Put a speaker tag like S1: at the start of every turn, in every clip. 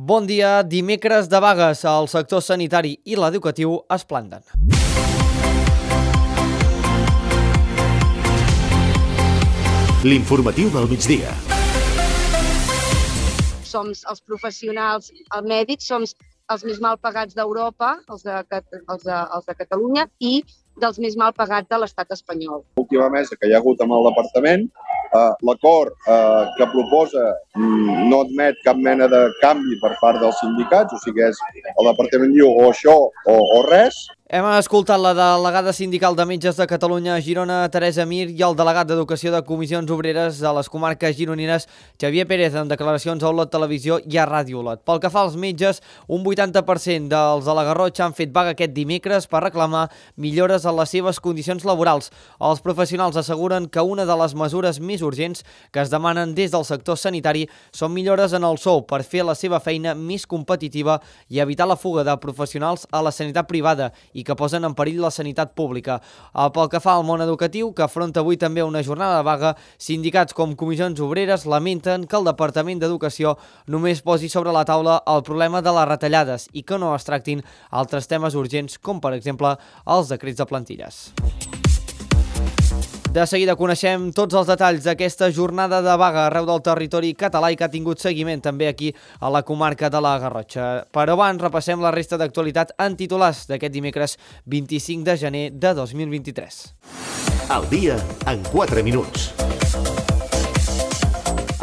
S1: Bon dia. Dimecres de vagues. El sector sanitari i l'educatiu es planten.
S2: L'informatiu del migdia.
S3: Som els professionals, els mèdics, som els més mal pagats d'Europa, els de Catalunya, i dels més mal pagats de l'estat espanyol.
S4: L'última mesa que hi ha hagut amb el departament, l'acord que proposa no admet cap mena de canvi per part dels sindicats, o sigui, el departament diu o això o res.
S1: Hem escoltat la delegada sindical de metges de Catalunya a Girona, Teresa Mir, i el delegat d'Educació de Comissions Obreres a les comarques gironines, Xavier Pérez, en declaracions a Olot Televisió i a Ràdio Olot. Pel que fa als metges, un 80% dels de la Garrotxa han fet vaga aquest dimecres per reclamar millores en les seves condicions laborals. Els professionals asseguren que una de les mesures més urgents que es demanen des del sector sanitari són millores en el sou per fer la seva feina més competitiva i evitar la fuga de professionals a la sanitat privada i que posen en perill la sanitat pública. Pel que fa al món educatiu, que afronta avui també una jornada de vaga, sindicats com Comissions Obreres lamenten que el Departament d'Educació només posi sobre la taula el problema de les retallades i que no es tractin altres temes urgents com, per exemple, els decrets de plantilles. De seguida coneixem tots els detalls d'aquesta jornada de vaga arreu del territori català i que ha tingut seguiment també aquí a la comarca de la Garrotxa. Però abans repassem la resta d'actualitat en titulars d'aquest dimecres 25 de gener de 2023.
S2: El dia en 4 minuts.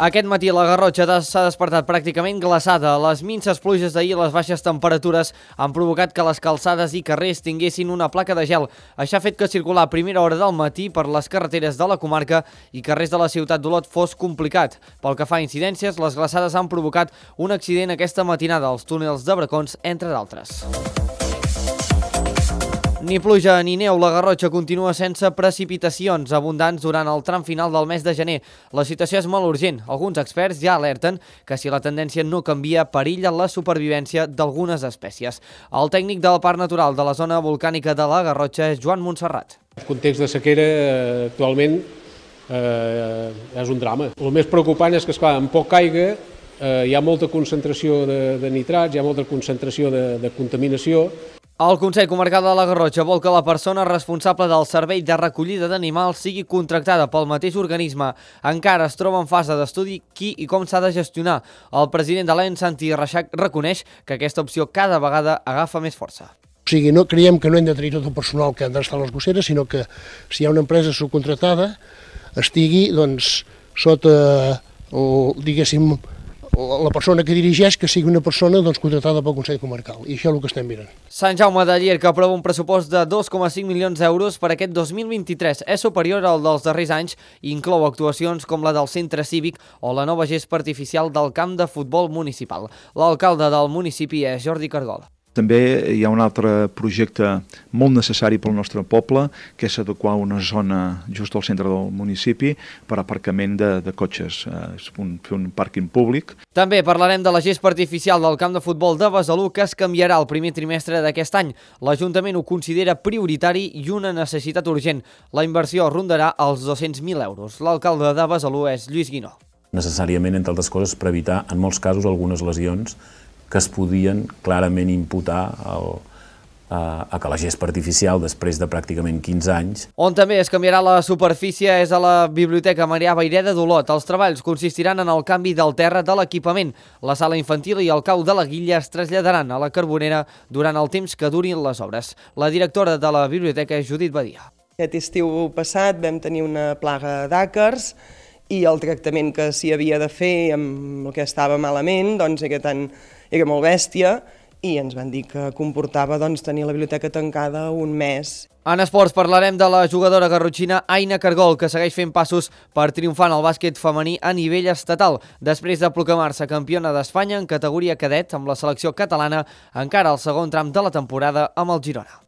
S1: Aquest matí la Garrotxa s'ha despertat pràcticament glaçada. Les minses pluges d'ahir i les baixes temperatures han provocat que les calçades i carrers tinguessin una placa de gel. Això ha fet que circular a primera hora del matí per les carreteres de la comarca i carrers de la ciutat d'Olot fos complicat. Pel que fa a incidències, les glaçades han provocat un accident aquesta matinada als túnels de Bracons, entre d'altres. Ni pluja ni neu, la Garrotxa continua sense precipitacions abundants durant el tram final del mes de gener. La situació és molt urgent. Alguns experts ja alerten que si la tendència no canvia, perilla la supervivència d'algunes espècies. El tècnic del Parc Natural de la zona volcànica de la Garrotxa és Joan Montserrat.
S5: El context de sequera actualment és un drama. El més preocupant és que, esclar, amb poca aigua hi ha molta concentració de nitrats, hi ha molta concentració de contaminació.
S1: El Consell Comarcal de la Garrotxa vol que la persona responsable del servei de recollida d'animals sigui contractada pel mateix organisme. Encara es troba en fase d'estudi qui i com s'ha de gestionar. El president de l'ENS, Santi Reixac, reconeix que aquesta opció cada vegada agafa més força.
S6: O sigui, no creiem que no hem de tenir tot el personal que han d'estar a les gosseres, sinó que si hi ha una empresa subcontratada estigui sota, diguéssim, la persona que dirigeix que sigui una persona contratada pel Consell Comarcal, i això és el que estem mirant.
S1: Sant Jaume de Llierca aprova un pressupost de 2,5 milions d'euros per aquest 2023. És superior al dels darrers anys i inclou actuacions com la del centre cívic o la nova gespa artificial del camp de futbol municipal. L'alcalde del municipi és Jordi Cargol.
S7: També hi ha un altre projecte molt necessari pel nostre poble, que és adequar una zona just al centre del municipi per aparcament de cotxes, fer un pàrquing públic.
S1: També parlarem de la gespa artificial del camp de futbol de Besalú, que es canviarà el primer trimestre d'aquest any. L'Ajuntament ho considera prioritari i una necessitat urgent. La inversió rondarà els 200.000 euros. L'alcalde de Besalú és Lluís Guinó.
S8: Necessàriament, entre altres coses, per evitar, en molts casos, algunes lesions que es podien clarament imputar a que la gespa artificial, després de pràcticament 15 anys...
S1: On també es canviarà la superfície és a la Biblioteca Marià Vayreda d'Olot. Els treballs consistiran en el canvi del terra de l'equipament. La sala infantil i el cau de la Guilla es traslladaran a la Carbonera durant el temps que durin les obres. La directora de la biblioteca és Judit Badia.
S9: Aquest estiu passat vam tenir una plaga d'àcars i el tractament que s'hi havia de fer amb el que estava malament era molt bèstia i ens van dir que comportava tenir la biblioteca tancada un mes.
S1: En esports parlarem de la jugadora garrotxina Aina Cargol, que segueix fent passos per triomfar en el bàsquet femení a nivell estatal. Després de proclamar-se campiona d'Espanya en categoria cadet amb la selecció catalana, encara al segon tram de la temporada amb el Girona.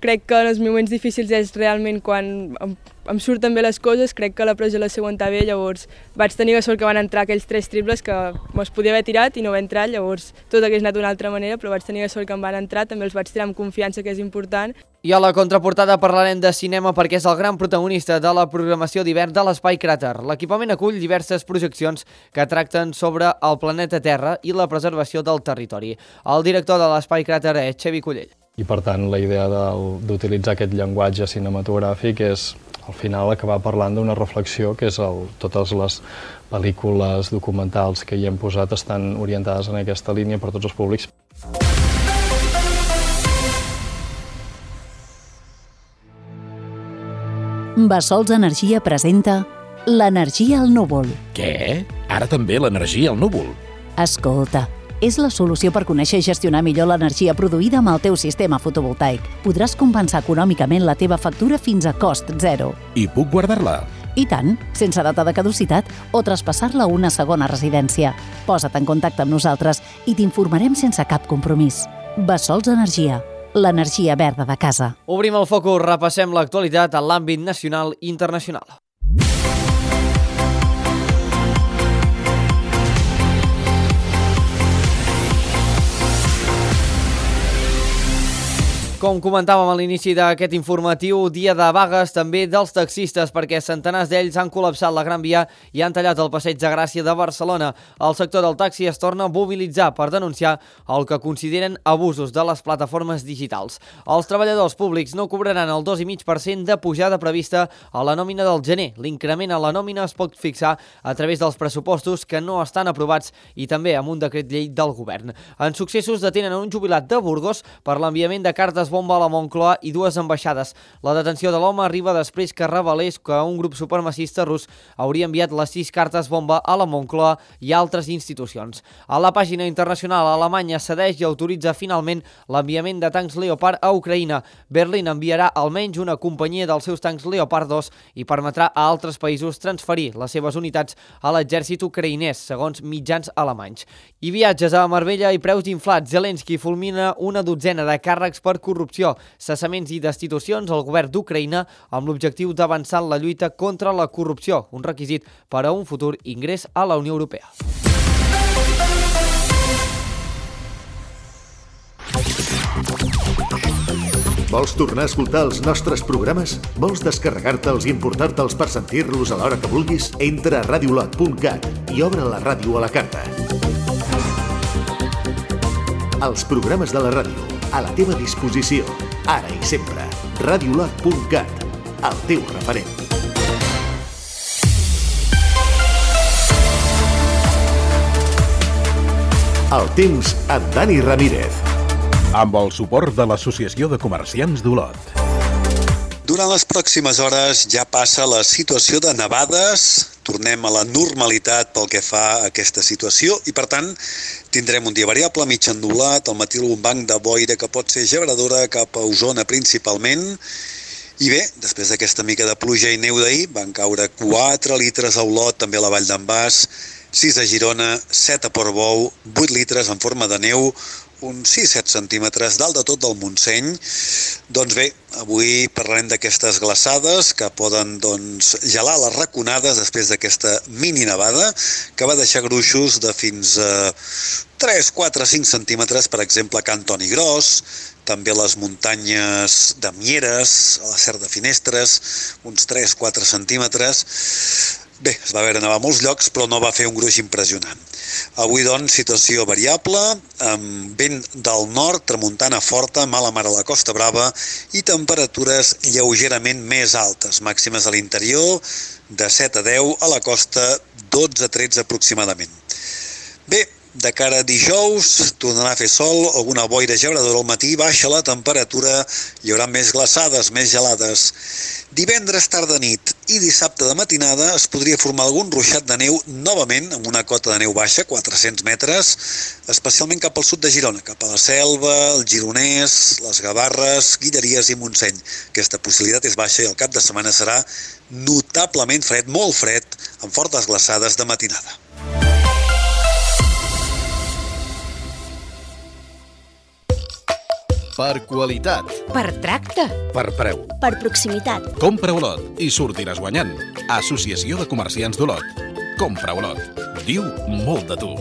S10: Crec que en els moments difícils és realment quan em surten bé les coses. Crec que la pressió la seu està bé, llavors vaig tenir la sort que van entrar aquells 3 triples que me'ls podia haver tirat i no va entrar, llavors tot hagués anat d'una altra manera, però vaig tenir la sort que em van entrar, també els vaig tirar amb confiança, que és important.
S1: I a la contraportada parlarem de cinema perquè és el gran protagonista de la programació d'hivern de l'Espai Cràter. L'equipament acull diverses projeccions que tracten sobre el planeta Terra i la preservació del territori. El director de l'Espai Cràter és Xevi Collell.
S11: I per tant la idea d'utilitzar aquest llenguatge cinematogràfic és al final acabar parlant d'una reflexió que és totes les pel·lícules documentals que hi hem posat estan orientades en aquesta línia per tots els públics.
S12: Bassols Energia presenta l'energia al núvol.
S13: Què? Ara també l'energia al núvol?
S12: Escolta, és la solució per conèixer i gestionar millor l'energia produïda amb el teu sistema fotovoltaic. Podràs compensar econòmicament la teva factura fins a cost zero.
S13: I puc guardar-la?
S12: I tant, sense data de caducitat o traspassar-la a una segona residència. Posa't en contacte amb nosaltres i t'informarem sense cap compromís. Bassols Energia, l'energia verda de casa.
S1: Obrim el focus, repassem l'actualitat en l'àmbit nacional i internacional. Com comentàvem a l'inici d'aquest informatiu, dia de vagues també dels taxistes perquè centenars d'ells han col·lapsat la Gran Via i han tallat el Passeig de Gràcia de Barcelona. El sector del taxi es torna a mobilitzar per denunciar el que consideren abusos de les plataformes digitals. Els treballadors públics no cobraran el 2,5% de pujada prevista a la nòmina del gener. L'increment a la nòmina es pot fixar a través dels pressupostos que no estan aprovats i també amb un decret llei del govern. En successos detenen un jubilat de Burgos per l'enviament de cartes bomba a la Moncloa i 2 ambaixades. La detenció de l'home arriba després que revelés que un grup supremacista rus hauria enviat les 6 cartes bomba a la Moncloa i altres institucions. A la pàgina internacional, Alemanya cedeix i autoritza finalment l'enviament de tancs Leopard a Ucraïna. Berlín enviarà almenys una companyia dels seus tancs Leopard 2 i permetrà a altres països transferir les seves unitats a l'exèrcit ucraïnès, segons mitjans alemanys. I viatges a Marbella i preus inflats. Zelensky fulmina una dotzena de càrrecs per corrupció, cessaments i destitucions al govern d'Ucraïna amb l'objectiu d'avançar en la lluita contra la corrupció, un requisit per a un futur ingrés a la Unió Europea.
S2: Vols tornar a escoltar els nostres programes? Vols descarregar-te'ls i importar-te'ls per sentir-los a l'hora que vulguis? Entra a radiolot.cat i obre la ràdio a la carta. Els programes de la ràdio, a la teva disposició, ara i sempre. Radiolot.cat, el teu referent. El temps amb Dani Ramírez.
S13: Amb el suport de l'Associació de Comerciants d'Olot.
S14: Durant les pròximes hores ja passa la situació de nevades, tornem a la normalitat pel que fa a aquesta situació i, per tant, tindrem un dia variable, mig ennubulat, al matí un banc de boira que pot ser gebradora cap a Osona principalment. I bé, després d'aquesta mica de pluja i neu d'ahir, van caure 4 litres a Olot, també a la Vall d'en Bas, 6 a Girona, 7 a Portbou, 8 litres en forma de neu, uns 6-7 centímetres dalt de tot del Montseny. Doncs bé, avui parlarem d'aquestes glaçades que poden gelar les raconades després d'aquesta mini nevada que va deixar gruixos de fins a 3, 4, 5 centímetres, per exemple, a Can Toni Gros, també a les muntanyes de Mieres, a la Serra de Finestres, uns 3-4 centímetres. Bé, es va veure nevar a molts llocs, però no va fer un gruix impressionant. Avui, doncs, situació variable, amb vent del nord, tramuntana forta, mala mar a la Costa Brava i temperatures lleugerament més altes, màximes a l'interior, de 7 a 10, a la costa 12 a 13 aproximadament. Bé, de cara a dijous, tornarà a fer sol, alguna boira gebradora al matí, baixa la temperatura, hi haurà més glaçades, més gelades. Divendres tarda nit i dissabte de matinada es podria formar algun ruixat de neu novament amb una cota de neu baixa, 400 metres, especialment cap al sud de Girona, cap a la Selva, el Gironès, les Gavarres, Guilleries i Montseny. Aquesta possibilitat és baixa i el cap de setmana serà notablement fred, molt fred, amb fortes glaçades de matinada.
S13: Per qualitat.
S15: Per tracte.
S13: Per preu.
S15: Per proximitat.
S13: Compra Olot i sortiràs guanyant. Associació de Comerciants d'Olot. Compra Olot. Diu molt de tu.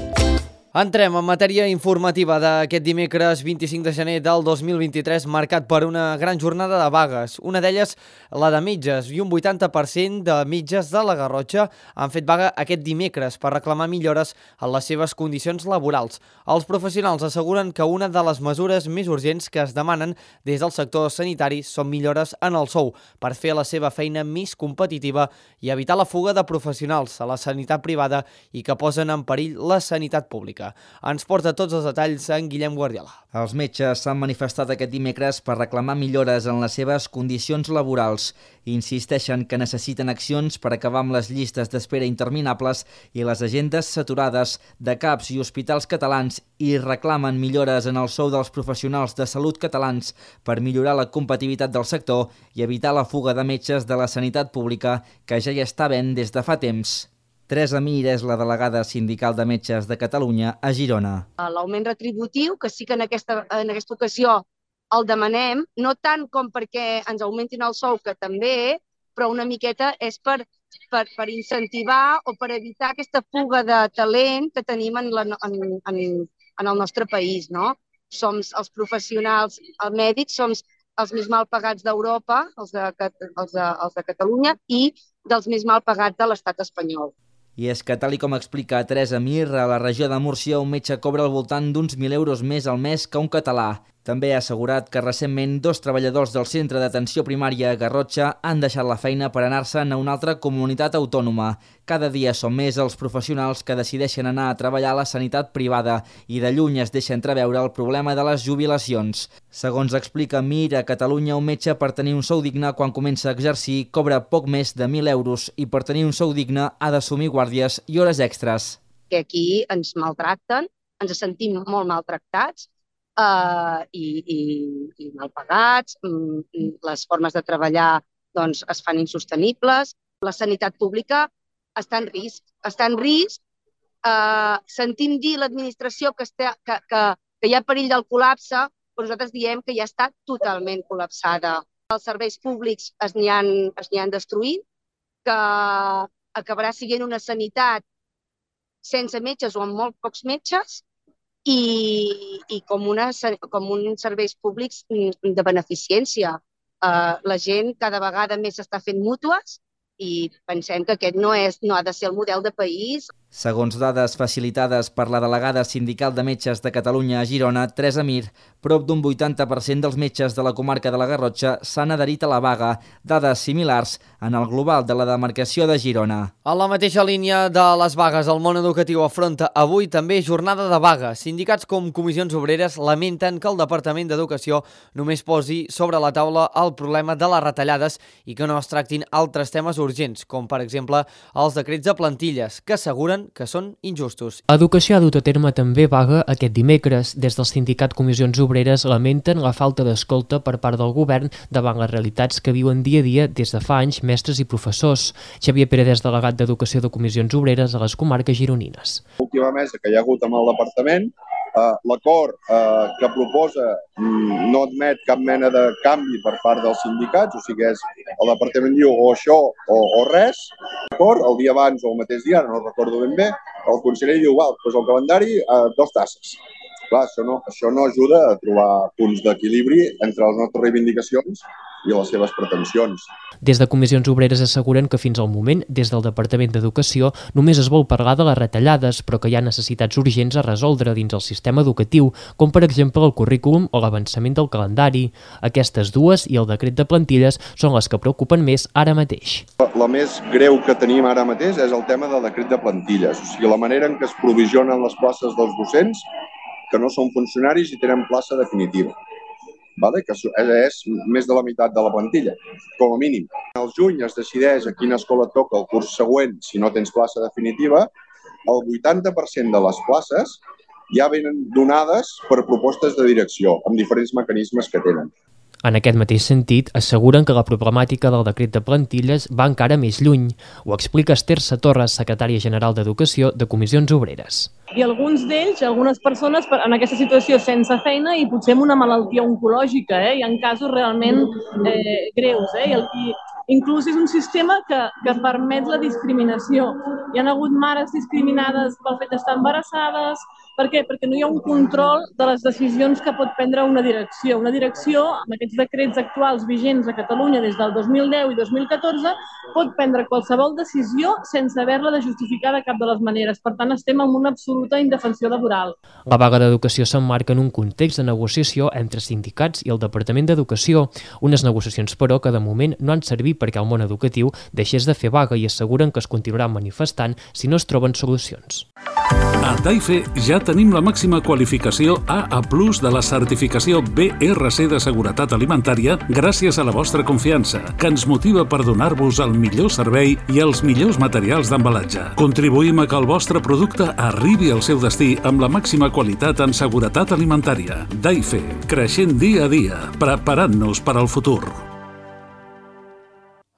S1: Entrem en matèria informativa d'aquest dimecres 25 de gener del 2023, marcat per una gran jornada de vagues. Una d'elles, la de metges, i un 80% de metges de la Garrotxa han fet vaga aquest dimecres per reclamar millores en les seves condicions laborals. Els professionals asseguren que una de les mesures més urgents que es demanen des del sector sanitari són millores en el sou per fer la seva feina més competitiva i evitar la fuga de professionals a la sanitat privada i que posen en perill la sanitat pública. Ens porta tots els detalls en Guillem Guardiola.
S16: Els metges s'han manifestat aquest dimecres per reclamar millores en les seves condicions laborals. Insisteixen que necessiten accions per acabar amb les llistes d'espera interminables i les agendes saturades de CAPs i hospitals catalans i reclamen millores en el sou dels professionals de salut catalans per millorar la competitivitat del sector i evitar la fuga de metges de la sanitat pública que ja hi està havent des de fa temps. Teresa Mir és la delegada sindical de metges de Catalunya a Girona.
S3: L'augment retributiu, que sí que en aquesta ocasió el demanem, no tant com perquè ens augmentin el sou, que també, però una miqueta és per incentivar o per evitar aquesta fuga de talent que tenim en el nostre país, no? Som els professionals, els mèdics, som els més mal pagats d'Europa, els de Catalunya, i dels més mal pagats de l'estat espanyol.
S16: I és que, tal com explica Teresa Mir, a la regió de Múrcia un metge cobra al voltant d'uns 1.000 euros més al mes que un català. També ha assegurat que recentment 2 treballadors del centre d'atenció primària a Garrotxa han deixat la feina per anar-se'n a una altra comunitat autònoma. Cada dia són més els professionals que decideixen anar a treballar a la sanitat privada i de lluny es deixa entreveure el problema de les jubilacions. Segons explica Mir, a Catalunya un metge per tenir un sou digne quan comença a exercir cobra poc més de 1.000 euros i per tenir un sou digne ha d'assumir guàrdies i hores extres.
S3: Que aquí ens maltracten, ens sentim molt maltractats, i mal pagats, les formes de treballar doncs, es fan insostenibles, la sanitat pública està en risc. Sentim dir l'administració que hi ha perill del col·lapse, però nosaltres diem que ja està totalment col·lapsada. Els serveis públics es n'hi han destruït, que acabarà sent una sanitat sense metges o amb molt pocs metges, i com uns serveis públics de beneficència. La gent cada vegada més està fent mútues i pensem que aquest no ha de ser el model de país.
S16: Segons dades facilitades per la delegada sindical de metges de Catalunya a Girona, Teresa Mir, prop d'un 80% dels metges de la comarca de la Garrotxa s'han adherit a la vaga, dades similars en el global de la demarcació de Girona.
S1: A la mateixa línia de les vagues, el món educatiu afronta avui també jornada de vaga. Sindicats com Comissions Obreres lamenten que el Departament d'Educació només posi sobre la taula el problema de les retallades i que no es tractin altres temes urgents, com per exemple els decrets de plantilles, que asseguren que són injustos.
S17: Educació ha dut a terme també vaga aquest dimecres. Des del sindicat Comissions Obreres lamenten la falta d'escolta per part del govern davant les realitats que viuen dia a dia des de fa anys mestres i professors. Xavier Pérez, delegat d'Educació de Comissions Obreres a les comarques gironines.
S4: L'última mesa que hi ha hagut amb el departament, l'acord que proposa no admet cap mena de canvi per part dels sindicats, o sigui, el departament diu o això o res. El dia abans o el mateix dia, no recordo ben bé, el conseller diu, doncs el calendari, 2 tasses. Clar, això no ajuda a trobar punts d'equilibri entre les nostres reivindicacions i les seves pretensions.
S17: Des de Comissions Obreres asseguren que fins al moment, des del Departament d'Educació, només es vol parlar de les retallades, però que hi ha necessitats urgents a resoldre dins el sistema educatiu, com per exemple el currículum o l'avançament del calendari. Aquestes dues i el decret de plantilles són les que preocupen més ara mateix.
S4: La més greu que tenim ara mateix és el tema del decret de plantilles, o sigui, la manera en què es provisionen les places dels docents que no són funcionaris i tenen plaça definitiva, que és més de la meitat de la plantilla, com a mínim. Al juny es decideix a quina escola et toca el curs següent si no tens plaça definitiva. El 80% de les places ja venen donades per propostes de direcció, amb diferents mecanismes que tenen.
S17: En aquest mateix sentit, asseguren que la problemàtica del decret de plantilles va encara més lluny. Ho explica Esther Satorres, secretària general d'Educació de Comissions Obreres.
S18: I alguns d'ells, algunes persones en aquesta situació sense feina i potser amb una malaltia oncològica, hi ha casos realment greus. I inclús és un sistema que permet la discriminació. Hi ha hagut mares discriminades pel fet d'estar embarassades. Per què? Perquè no hi ha un control de les decisions que pot prendre una direcció. Una direcció, amb aquests decrets actuals vigents a Catalunya des del 2010 i 2014, pot prendre qualsevol decisió sense haver-la de justificar de cap de les maneres. Per tant, estem en una absoluta indefensió laboral.
S17: La vaga d'educació s'emmarca en un context de negociació entre sindicats i el Departament d'Educació, unes negociacions, però, que de moment no han servit perquè el món educatiu deixés de fer vaga i asseguren que es continuarà manifestant si no es troben solucions.
S19: A Taife ja tenim la màxima qualificació AA+ de la certificació BRC de seguretat alimentària gràcies a la vostra confiança, que ens motiva per donar-vos el millor servei i els millors materials d'embalatge. Contribuïm a que el vostre producte arribi al seu destí amb la màxima qualitat en seguretat alimentària. Taife, creixent dia a dia, preparant-nos per al futur.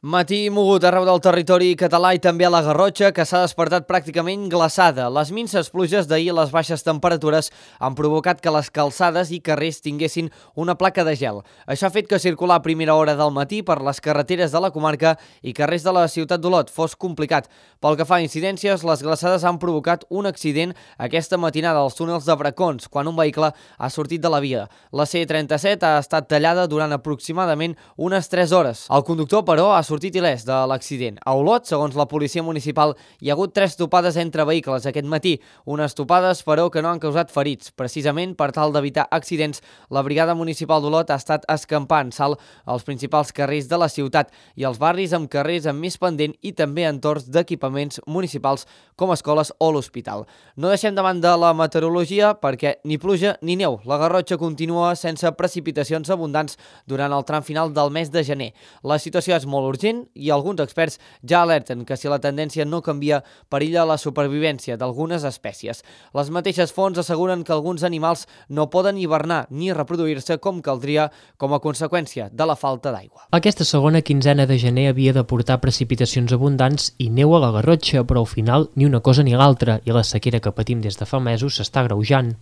S1: Matí mogut arreu del territori català i també a la Garrotxa, que s'ha despertat pràcticament glaçada. Les minses pluges d'ahir i les baixes temperatures han provocat que les calçades i carrers tinguessin una placa de gel. Això ha fet que circular a primera hora del matí per les carreteres de la comarca i carrers de la ciutat d'Olot fos complicat. Pel que fa a incidències, les glaçades han provocat un accident aquesta matinada als túnels de Bracons, quan un vehicle ha sortit de la via. La C37 ha estat tallada durant aproximadament unes 3 hores. El conductor, però, ha sortit il·lès de l'accident. A Olot, segons la policia municipal, hi ha hagut 3 topades entre vehicles aquest matí. Unes topades, però, que no han causat ferits. Precisament per tal d'evitar accidents, la Brigada Municipal d'Olot ha estat escampant salt als principals carrers de la ciutat i als barris amb carrers amb més pendent i també entorns d'equipaments municipals com escoles o l'hospital. No deixem de banda la meteorologia perquè ni pluja ni neu. La Garrotxa continua sense precipitacions abundants durant el tram final del mes de gener. La situació és molt urgent i alguns experts ja alerten que si la tendència no canvia, perilla la supervivència d'algunes espècies. Les mateixes fonts asseguren que alguns animals no poden hivernar ni reproduir-se com caldria com a conseqüència de la falta d'aigua.
S17: Aquesta segona quinzena de gener havia de portar precipitacions abundants i neu a la Garrotxa, però al final ni una cosa ni l'altra i la sequera que patim des de fa mesos s'està agreujant.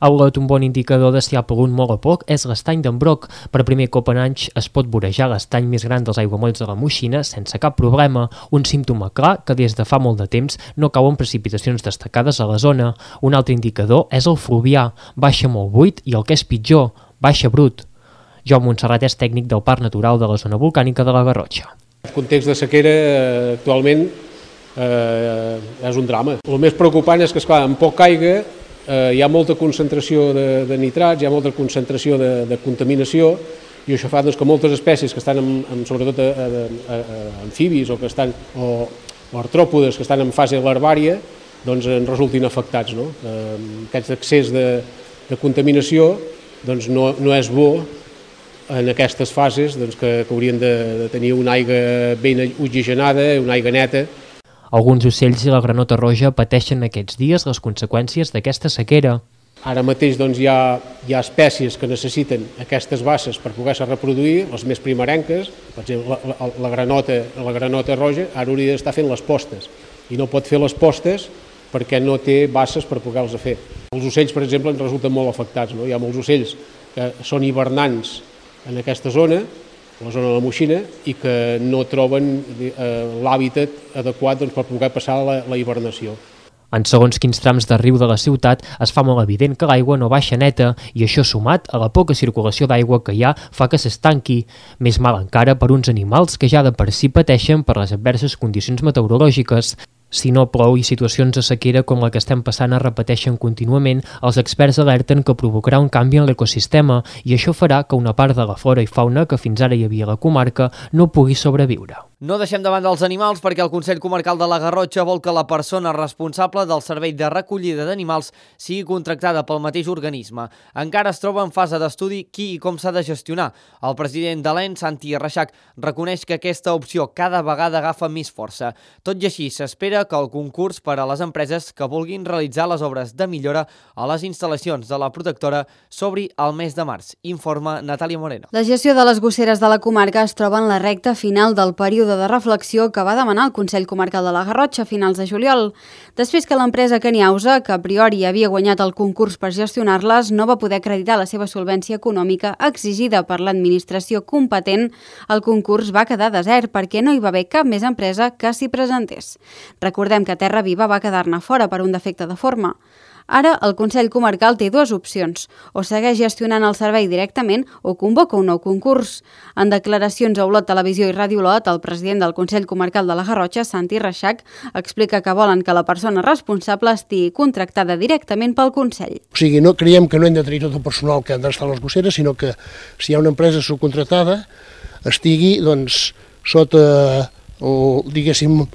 S17: A Olot, un bon indicador de si ha plogut molt o poc és l'estany d'en Broc. Per primer cop en anys es pot vorejar l'estany més gran dels aiguamolls de la Moixina sense cap problema, un símptoma clar que des de fa molt de temps no cauen precipitacions destacades a la zona. Un altre indicador és el Fluvià, baixa molt buit i el que és pitjor, baixa brut. Jaume Montserrat és tècnic del Parc Natural de la zona volcànica de la Garrotxa.
S5: El context de sequera actualment és un drama. El més preocupant és que, esclar, amb poc aigua hi ha molta concentració de nitrats, hi ha molta concentració de contaminació i això fa que moltes espècies que estan sobretot amfibis o que estan o artròpodes que estan en fase larvària en resultin afectats. Aquest excés de contaminació no és bo en aquestes fases que haurien de tenir una aigua ben oxigenada, una aigua neta.
S17: Alguns ocells i la granota roja pateixen aquests dies les conseqüències d'aquesta sequera.
S5: Ara mateix hi ha espècies que necessiten aquestes basses per poder-se reproduir, les més primerenques, per exemple la granota roja, ara hauria d'estar fent les postes i no pot fer les postes perquè no té basses per poder-les fer. Els ocells, per exemple, en resulten molt afectats. Hi ha molts ocells que són hivernants en aquesta zona, la zona de la Moixina, i que no troben l'hàbitat adequat per poder passar la hibernació.
S17: En segons quins trams de riu de la ciutat es fa molt evident que l'aigua no baixa neta i això sumat a la poca circulació d'aigua que hi ha fa que s'estanqui. Més mal encara per uns animals que ja de per si pateixen per les adverses condicions meteorològiques. Si no plou i situacions de sequera com la que estem passant es repeteixen contínuament, els experts alerten que provocarà un canvi en l'ecosistema i això farà que una part de la flora i fauna que fins ara hi havia a la comarca no pugui sobreviure.
S1: No deixem de banda els animals perquè el Consell Comarcal de la Garrotxa vol que la persona responsable del servei de recollida d'animals sigui contractada pel mateix organisme. Encara es troba en fase d'estudi qui i com s'ha de gestionar. El president de l'ENS, Santi Reixac, reconeix que aquesta opció cada vegada agafa més força. Tot i així, s'espera que el concurs per a les empreses que vulguin realitzar les obres de millora a les instal·lacions de la protectora s'obri al mes de març, informa Natàlia Moreno.
S20: La gestió de les gosseres de la comarca es troba en la recta final del període de reflexió que va demanar el Consell Comarcal de la Garrotxa a finals de juliol. Després que l'empresa Caniausa, que a priori havia guanyat el concurs per gestionar-les, no va poder acreditar la seva solvència econòmica exigida per l'administració competent, el concurs va quedar desert perquè no hi va haver cap més empresa que s'hi presentés. Recordem que Terra Viva va quedar-ne fora per un defecte de forma. Ara, el Consell Comarcal té dues opcions, o segueix gestionant el servei directament o convoca un nou concurs. En declaracions a Olot Televisió i Ràdio Olot, el president del Consell Comarcal de la Garrotxa, Santi Reixac, explica que volen que la persona responsable estigui contractada directament pel Consell.
S6: O sigui, no creiem que no hem de tenir tot el personal que han d'estar a les gosseres, sinó que si hi ha una empresa subcontratada estigui sota, diguéssim,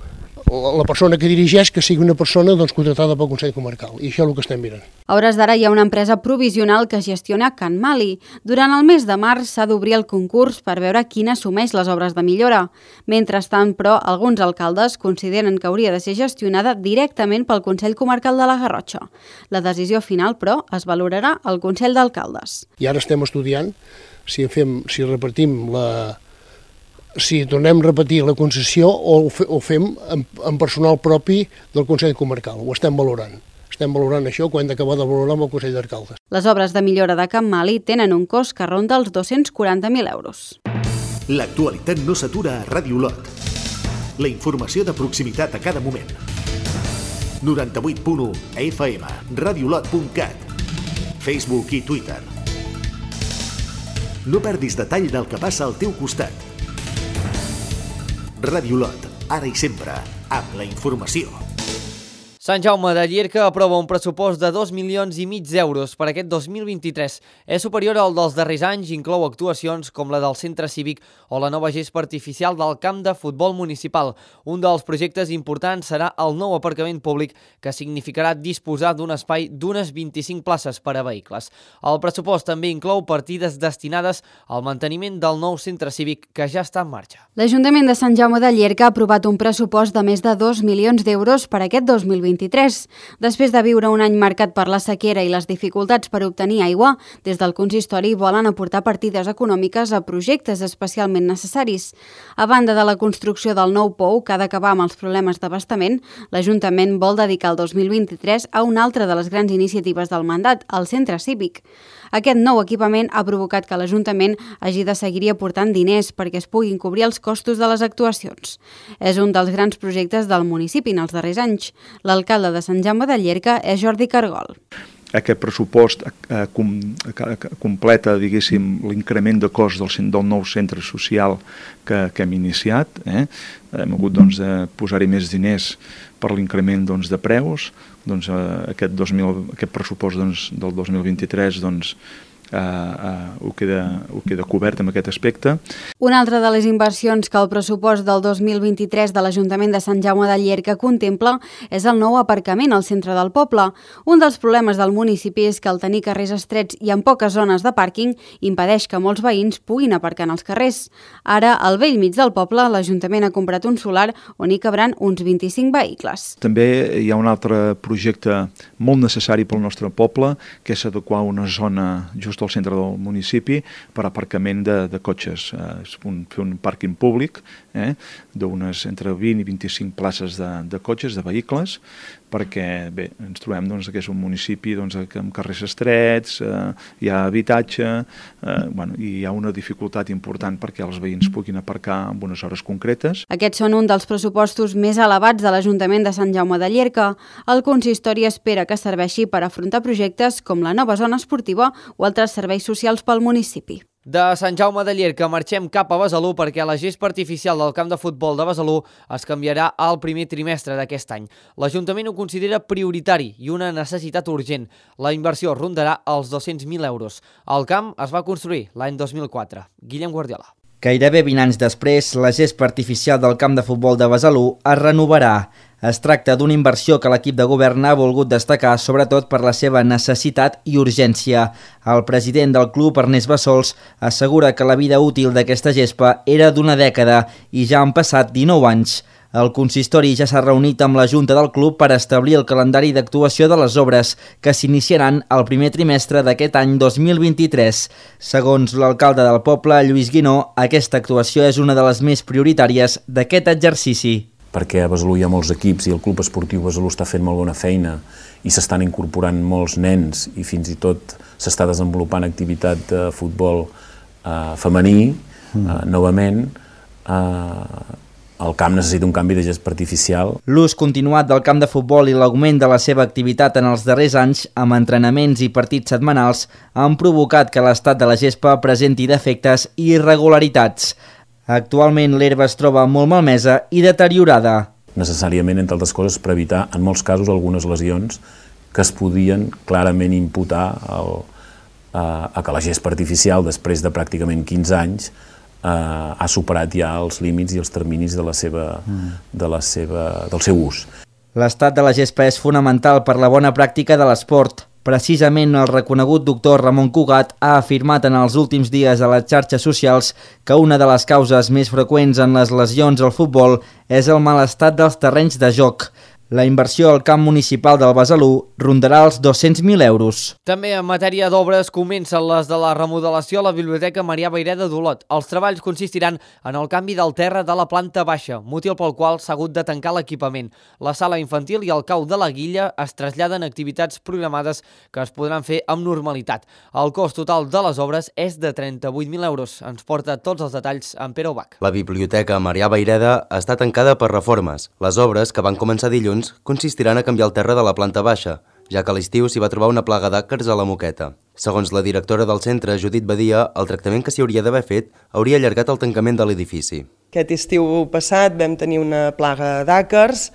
S6: la persona que dirigeix que sigui una persona contratada pel Consell Comarcal, i això és el que estem mirant.
S20: A hores d'ara hi ha una empresa provisional que gestiona Can Mali. Durant el mes de març s'ha d'obrir el concurs per veure quin assumeix les obres de millora. Mentrestant, però, alguns alcaldes consideren que hauria de ser gestionada directament pel Consell Comarcal de la Garrotxa. La decisió final, però, es valorarà al Consell d'Alcaldes.
S6: I ara estem estudiant si tornem a repetir la concessió o ho fem amb personal propi del Consell Comarcal. Ho estem valorant. Estem valorant això quan hem d'acabar de valorar amb el Consell d'Alcaldes.
S20: Les obres de millora de Can Mali tenen un cost que ronda els 240.000 euros.
S2: L'actualitat no s'atura a Ràdio Olot. La informació de proximitat a cada moment. 98.1 FM, radiolot.cat, Facebook i Twitter. No perdis detall del que passa al teu costat. Ràdio Olot, ara i sempre, amb la informació.
S1: Sant Jaume de Llierca aprova un pressupost de 2,5 milions d'euros per aquest 2023. És superior al dels darrers anys, inclou actuacions com la del centre cívic o la nova gespa artificial del camp de futbol municipal. Un dels projectes importants serà el nou aparcament públic, que significarà disposar d'un espai d'unes 25 places per a vehicles. El pressupost també inclou partides destinades al manteniment del nou centre cívic que ja està en marxa.
S20: L'Ajuntament de Sant Jaume de Llierca ha aprovat un pressupost de més de 2 milions d'euros per aquest 2023. Després de viure un any marcat per la sequera i les dificultats per obtenir aigua, des del consistori volen aportar partides econòmiques a projectes especialment necessaris. A banda de la construcció del nou pou, que ha d'acabar amb els problemes d'abastament, l'Ajuntament vol dedicar el 2023 a una altra de les grans iniciatives del mandat, el centre cívic. Aquest nou equipament ha provocat que l'Ajuntament hagi de seguir aportant diners perquè es puguin cobrir els costos de les actuacions. És un dels grans projectes del municipi en els darrers anys. L'alcalde de Sant Jaume de Llierca és Jordi Cargol.
S7: Aquest pressupost completa, diguéssim, l'increment de cost del nou centre social que hem iniciat. Hem hagut de posar-hi més diners per l'increment de preus. Aquest pressupost del 2023 ho queda cobert amb aquest aspecte.
S20: Una altra de les inversions que el pressupost del 2023 de l'Ajuntament de Sant Jaume de Llierca contempla és el nou aparcament al centre del poble. Un dels problemes del municipi és que al tenir carrers estrets i amb poques zones de pàrquing impedeix que molts veïns puguin aparcar en els carrers. Ara, al bell mig del poble, l'Ajuntament ha comprat un solar on hi cabran uns 25 vehicles.
S7: També hi ha un altre projecte molt necessari pel nostre poble, que és adequar una zona just al centre del municipi per aparcament de cotxes, fer un pàrquing públic d'unes entre 20 i 25 places de cotxes, de vehicles, perquè bé, ens trobem que és un municipi amb carrers estrets, hi ha habitatge, i hi ha una dificultat important perquè els veïns puguin aparcar en unes hores concretes.
S20: Aquests són un dels pressupostos més elevats de l'Ajuntament de Sant Jaume de Llierca. El consistori espera que serveixi per afrontar projectes com la nova zona esportiva o altres serveis socials pel municipi.
S1: De Sant Jaume de Llierca marxem cap a Besalú perquè la gespa artificial del camp de futbol de Besalú es canviarà al primer trimestre d'aquest any. L'Ajuntament ho considera prioritari i una necessitat urgent. La inversió rondarà els 200.000 euros. El camp es va construir l'any 2004. Guillem Guardiola.
S16: Gairebé 20 anys després, la gespa artificial del camp de futbol de Besalú es renovarà. Es tracta d'una inversió que l'equip de govern ha volgut destacar, sobretot per la seva necessitat i urgència. El president del club, Ernest Bassols, assegura que la vida útil d'aquesta gespa era d'una dècada i ja han passat 19 anys. El consistori ja s'ha reunit amb la Junta del club per establir el calendari d'actuació de les obres, que s'iniciaran el primer trimestre d'aquest any 2023. Segons l'alcalde del poble, Lluís Guinó, aquesta actuació és una de les més prioritàries d'aquest exercici.
S8: Perquè a Besalú hi ha molts equips i el Club Esportiu Besalú està fent molt bona feina i s'estan incorporant molts nens i fins i tot s'està desenvolupant activitat de futbol femení, novament. El camp necessita un canvi de gespa artificial.
S16: L'ús continuat del camp de futbol i l'augment de la seva activitat en els darrers anys, amb entrenaments i partits setmanals, han provocat que l'estat de la gespa presenti defectes i irregularitats. Actualment l'herba es troba molt malmesa i deteriorada.
S8: Necessàriament, entre altres coses, per evitar, en molts casos, algunes lesions que es podien clarament imputar a que la gespa artificial, després de pràcticament 15 anys, ha superat ja els límits i els terminis del seu ús.
S16: L'estat de la gespa és fonamental per la bona pràctica de l'esport. Precisament el reconegut doctor Ramon Cugat ha afirmat en els últims dies a les xarxes socials que una de les causes més freqüents en les lesions al futbol és el mal estat dels terrenys de joc. La inversió al camp municipal del Besalú rondarà els 200.000 euros.
S1: També en matèria d'obres comencen les de la remodelació a la Biblioteca Marià Vayreda d'Olot. Els treballs consistiran en el canvi del terra de la planta baixa, motiu pel qual s'ha hagut de tancar l'equipament. La sala infantil i el cau de la Guilla es traslladen a activitats programades que es podran fer amb normalitat. El cost total de les obres és de 38.000 euros. Ens porta tots els detalls en Pere Ubach.
S21: La Biblioteca Marià Vayreda està tancada per reformes. Les obres, que van començar dilluns, consistiran a canviar el terra de la planta baixa, ja que a l'estiu s'hi va trobar una plaga d'àcars a la moqueta. Segons la directora del centre, Judit Badia, el tractament que s'hi hauria d'haver fet hauria allargat el tancament de l'edifici.
S9: Aquest estiu passat vam tenir una plaga d'àcars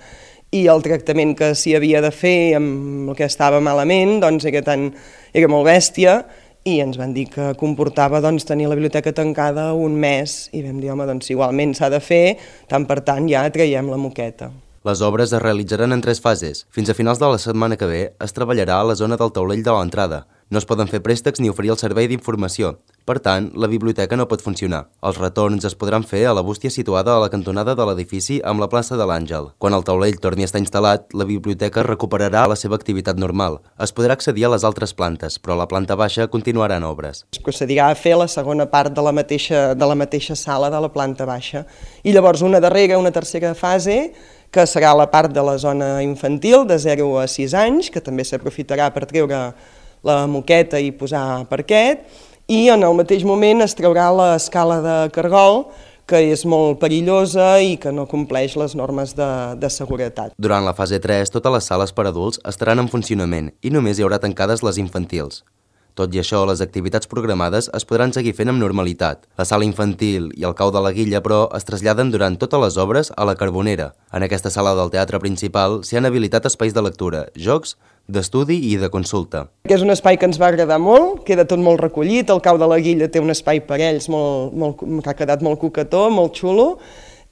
S9: i el tractament que s'hi havia de fer amb el que estava malament era molt bèstia i ens van dir que comportava tenir la biblioteca tancada un mes i vam dir, home, igualment s'ha de fer, tant per tant ja traiem la moqueta.
S21: Les obres es realitzaran en 3 fases. Fins a finals de la setmana que ve es treballarà a la zona del taulell de l'entrada. No es poden fer préstecs ni oferir el servei d'informació. Per tant, la biblioteca no pot funcionar. Els retorns es podran fer a la bústia situada a la cantonada de l'edifici amb la plaça de l'Àngel. Quan el taulell torni a estar instal·lat, la biblioteca recuperarà la seva activitat normal. Es podrà accedir a les altres plantes, però la planta baixa continuarà en obres.
S9: Es procedirà a fer la segona part de la mateixa sala de la planta baixa. I llavors una tercera fase, que serà la part de la zona infantil de 0 a 6 anys, que també s'aprofitarà per treure la moqueta i posar parquet, i en el mateix moment es traurà l'escala de cargol, que és molt perillosa i que no compleix les normes de seguretat.
S21: Durant la fase 3, totes les sales per adults estaran en funcionament i només hi haurà tancades les infantils. Tot i això, les activitats programades es podran seguir fent amb normalitat. La sala infantil i el cau de la Guilla, però, es traslladen durant totes les obres a la Carbonera. En aquesta sala del teatre principal s'hi han habilitat espais de lectura, jocs, d'estudi i de consulta.
S9: És un espai que ens va agradar molt, queda tot molt recollit, el cau de la Guilla té un espai per ells que ha quedat molt coquetó, molt xulo,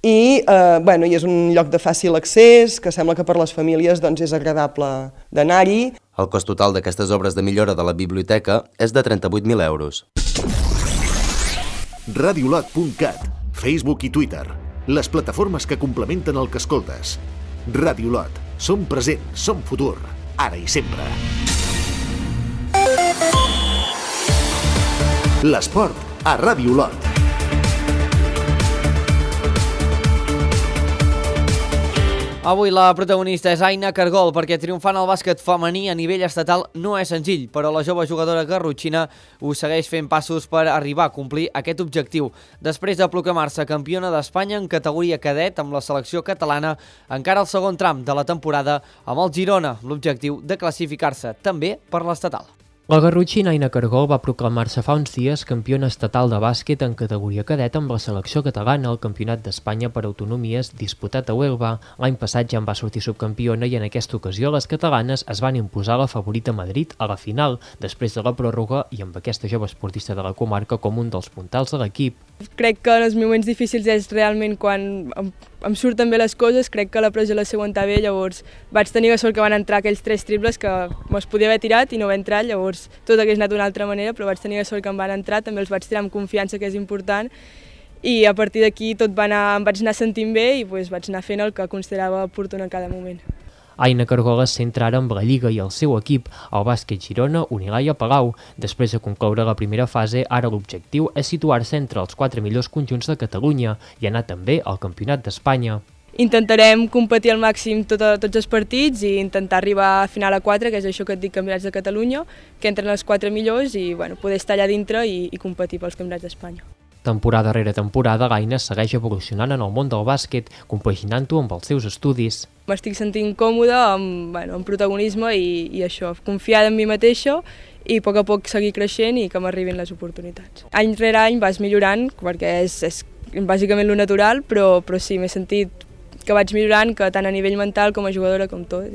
S9: i és un lloc de fàcil accés, que sembla que per les famílies és agradable d'anar-hi.
S21: El cost total d'aquestes obres de millora de la biblioteca és de 38.000 euros.
S2: Radiolot.cat, Facebook i Twitter, les plataformes que complementen el que escoltes. Radiolot, som present, som futur, ara i sempre. L'esport a Radiolot.
S1: Avui la protagonista és Aina Cargol, perquè triomfant al bàsquet femení a nivell estatal no és senzill, però la jove jugadora garrotxina ho segueix fent passos per arribar a complir aquest objectiu. Després de proclamar-se campiona d'Espanya en categoria cadet amb la selecció catalana, encara el segon tram de la temporada amb el Girona, l'objectiu de classificar-se també per l'estatal.
S17: La garrotxina Aina Cargol va proclamar-se fa uns dies campiona estatal de bàsquet en categoria cadet amb la selecció catalana al Campionat d'Espanya per autonomies disputat a Huelva. L'any passat ja en va sortir subcampiona i en aquesta ocasió les catalanes es van imposar la favorita Madrid a la final, després de la pròrroga i amb aquesta jove esportista de la comarca com un dels puntals de l'equip.
S10: Crec que en els moments difícils és realment quan em surten bé les coses, crec que la pressió la sé aguantar bé, llavors vaig tenir la sort que van entrar aquells 3 triples que me'ls podia haver tirat i no va entrar, llavors tot hagués anat d'una altra manera, però vaig tenir la sort que em van entrar, també els vaig tirar amb confiança, que és important, i a partir d'aquí tot em vaig anar sentint bé i vaig anar fent el que considerava oportú en cada moment.
S17: Aina Cargol es centra ara amb la Lliga i el seu equip, el Bàsquet Girona, Unilaia Palau. Després de concloure la primera fase, ara l'objectiu és situar-se entre els 4 millors conjunts de Catalunya i anar també al Campionat d'Espanya.
S10: Intentarem competir al màxim tots els partits i intentar arribar a final a 4, que és això que et dic, Campionats de Catalunya, que entren els 4 millors i poder estar allà dintre i competir pels Campionats d'Espanya.
S17: Temporada rere temporada, l'Aina segueix evolucionant en el món del bàsquet, compaginant-ho amb els seus estudis.
S10: M'estic sentint còmoda amb protagonisme i això, confiada en mi mateixa i a poc seguir creixent i que m'arribin les oportunitats. Any rere any vas millorant, perquè és bàsicament lo natural, però sí, m'he sentit que vaig millorant, que tant a nivell mental com a jugadora com tot.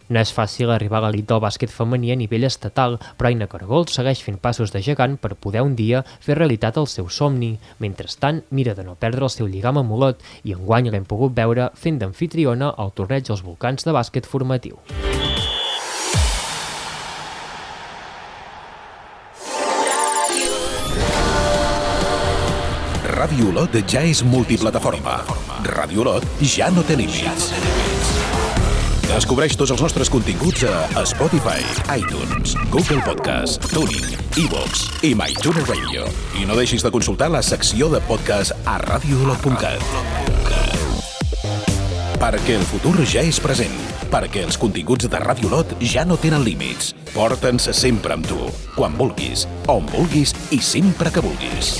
S17: No és fàcil arribar a l'elit del bàsquet femení a nivell estatal, però Aina Cargol segueix fent passos de gegant per poder un dia fer realitat el seu somni. Mentrestant, mira de no perdre el seu lligam amb Olot i enguany l'hem pogut veure fent d'amfitriona al torneig dels Volcans de bàsquet formatiu.
S13: Ràdio Olot ja és multiplataforma. Ràdio Olot ja no té límits. Descobreix tots els nostres continguts a Spotify, iTunes, Google Podcast, TuneIn, iVoox i MyTuner Radio. I no deixis de consultar la secció de podcast a radioolot.cat. Perquè el futur ja és present. Perquè els continguts de Ràdio Olot ja no tenen límits. Porta'ns sempre amb tu, quan vulguis, on vulguis i sempre que vulguis.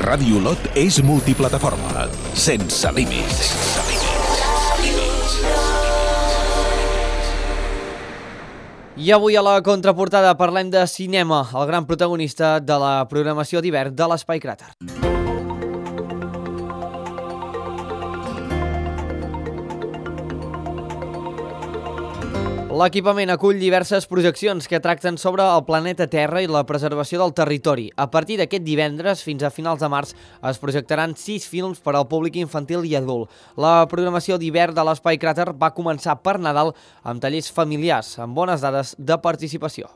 S13: Ràdio Olot és multiplataforma, sense límits.
S1: I avui a la contraportada parlem de cinema, el gran protagonista de la programació d'hivern de l'Espai Cràter. L'equipament acull diverses projeccions que tracten sobre el planeta Terra i la preservació del territori. A partir d'aquest divendres fins a finals de març es projectaran 6 films per al públic infantil i adult. La programació d'hivern de l'Espai Cràter va començar per Nadal amb tallers familiars, amb bones dades de participació.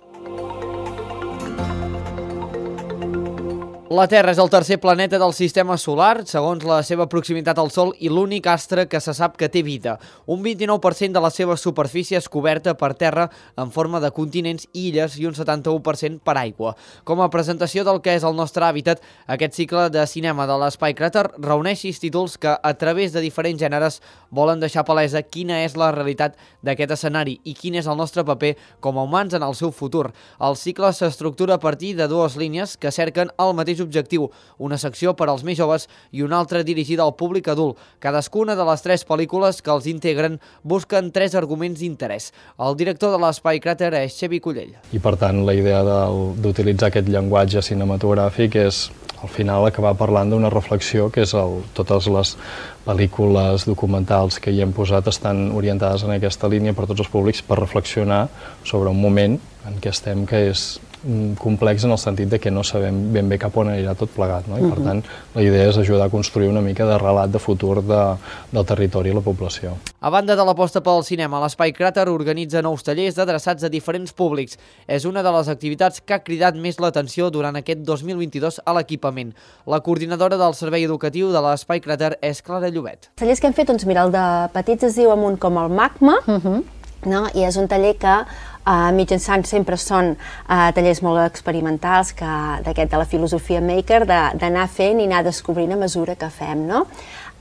S1: La Terra és el tercer planeta del sistema solar, segons la seva proximitat al Sol, i l'únic astre que se sap que té vida. Un 29% de la seva superfície és coberta per terra en forma de continents i illes i un 71% per aigua. Com a presentació del que és el nostre hàbitat, aquest cicle de cinema de l'Espai Cràter reuneix 6 títols que, a través de diferents gèneres, volen deixar palesa quina és la realitat d'aquest escenari i quin és el nostre paper com a humans en el seu futur. El cicle s'estructura a partir de 2 línies que cerquen el mateix objectiu, una secció per als més joves i una altra dirigida al públic adult. Cadascuna de les 3 pel·lícules que els integren busquen 3 arguments d'interès. El director de l'Espai Cràter és Xavi Collell.
S11: I per tant la idea d'utilitzar aquest llenguatge cinematogràfic és al final acabar parlant d'una reflexió que és totes les pel·lícules documentals que hi hem posat estan orientades en aquesta línia per tots els públics per reflexionar sobre un moment en què estem que és complex en el sentit de que no sabem ben bé cap on anirà tot plegat, no? I per tant la idea és ajudar a construir una mica de relat de futur del territori i la població.
S1: A banda de l'aposta pel cinema, l'Espai Cràter organitza nous tallers adreçats a diferents públics. És una de les activitats que ha cridat més l'atenció durant aquest 2022 a l'equipament. La coordinadora del servei educatiu de l'Espai Cràter és Clara Llobet.
S22: Els tallers que hem fet, doncs mira, el de petits es diu Amunt com el magma, no? I és un taller que mitjançant sempre són tallers molt experimentals de la filosofia maker, d'anar fent i anar descobrint a mesura que fem, no?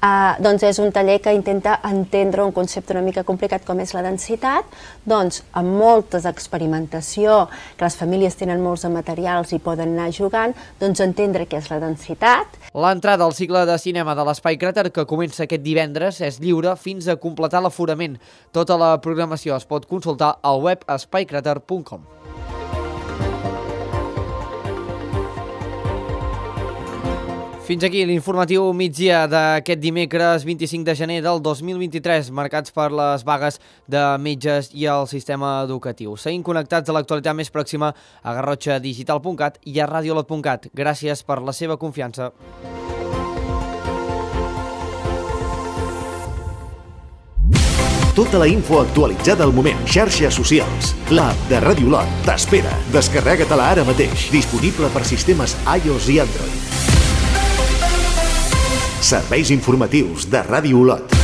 S22: doncs és un taller que intenta entendre un concepte una mica complicat com és la densitat, doncs amb molta experimentació, que les famílies tenen molts de materials i poden anar jugant, doncs entendre què és la densitat.
S1: L'entrada al cicle de cinema de l'Espai Cràter, que comença aquest divendres, és lliure fins a completar l'aforament. Tota la programació es pot consultar al web espaicrater.com. Fins aquí l'informatiu migdia d'aquest dimecres 25 de gener del 2023, marcats per les vagues de metges i el sistema educatiu. Seguim connectats a l'actualitat més pròxima a garrotxadigital.cat i a radiolot.cat. Gràcies per la seva confiança.
S2: Tota la info actualitzada al moment. Xarxes socials. L'app de Radiolot t'espera. Descarrega-te-la ara mateix. Disponible per sistemes iOS i Android. Serveis informatius de Ràdio Olot.